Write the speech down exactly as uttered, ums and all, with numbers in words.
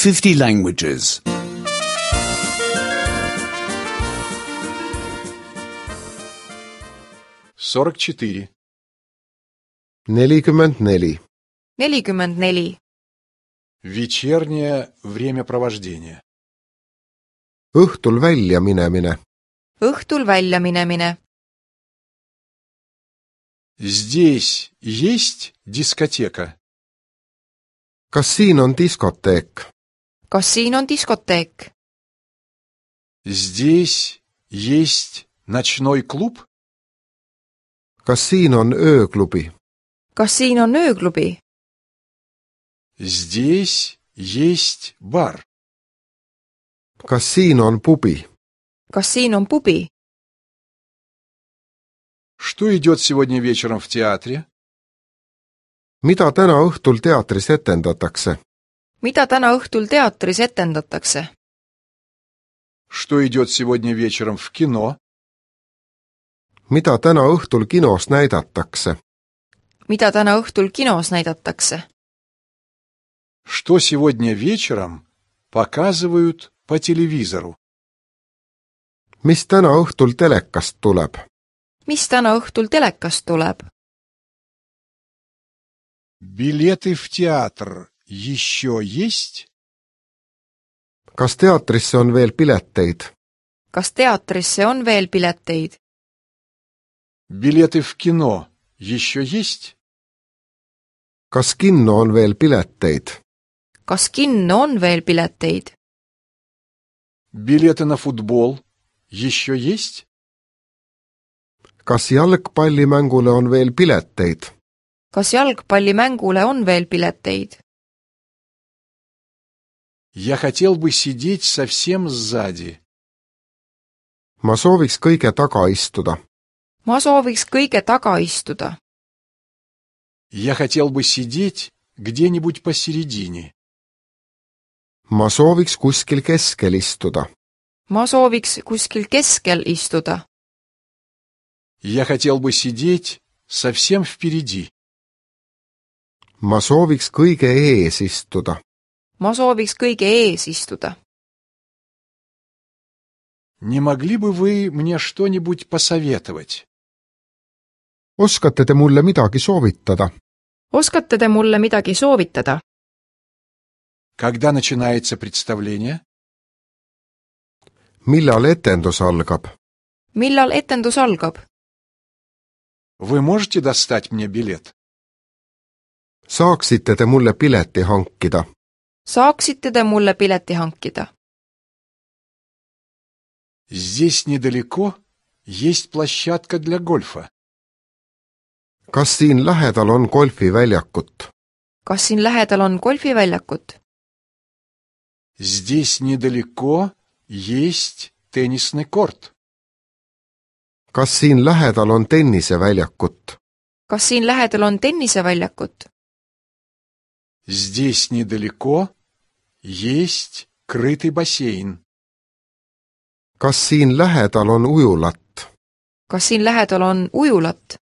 fifty languages. сорок четыре. nelikümmend neli. nelikümmend neli. Вечернее времяпровождение. õhtul välja minemine. õhtul välja minemine. Здесь есть дискотека? kas siin on diskoteek? Kas siin on diskoteek? Здесь есть ночной клуб? kas siin on ööklubi? Kas siin on ööklubi? Здесь есть бар. kas siin on pubi? Kas siin on pubi? Что идет сегодня вечером в театре? mida täna õhtul teatris etendatakse? Mida täna õhtul teatris etendatakse? Что идет сегодня вечером в кино? mida täna õhtul kinos näidatakse? Mida täna õhtul kinos näidatakse? Что сегодня вечером показывают по телевизору? mis täna õhtul telekast tuleb? Mis täna õhtul telekast tuleb? Билеты в театр еще есть? kas teatrisse on veel pileteid? Kas teatrisse on veel pileteid? Билеты в кино еще есть? kas kinno on veel pileteid? Kas kinno on veel pileteid? Билеты на футбол еще есть? kas jalgpallimängule on veel pileteid? Kas jalgpallimängule on veel pileteid? Я хотел бы сидеть совсем сзади. ma sooviks kõige taga istuda. Ma sooviks kõige taga istuda. Я хотел бы сидеть где-нибудь посередине. ma sooviks kuskil keskel istuda. Ma sooviks kuskil keskel istuda. Я хотел бы сидеть совсем впереди. ma sooviks kõige ees istuda. Ma sooviks kõige ees istuda. Не могли бы вы мне что-нибудь посоветовать? oskate te mulle midagi soovitada? Oskate te mulle midagi soovitada? Когда начинается представление? millal etendus algab? Millal etendus algab? Вы можете достать мне билет? saaksite te mulle pileti hankida? Saaksite te mulle pileti hankida? Здесь недалеко есть площадка для гольфа. kas siin lähedal on golfiväljakut? Kas siin lähedal on golfiväljakut? Здесь недалеко есть теннисный корт. kas siin lähedal on tenniseväljakut? Kas siin lähedal on tenniseväljakut? Здесь недалеко есть крытый бассейн. kas siin lähedal on ujulat? Kas siin lähedal on ujulat?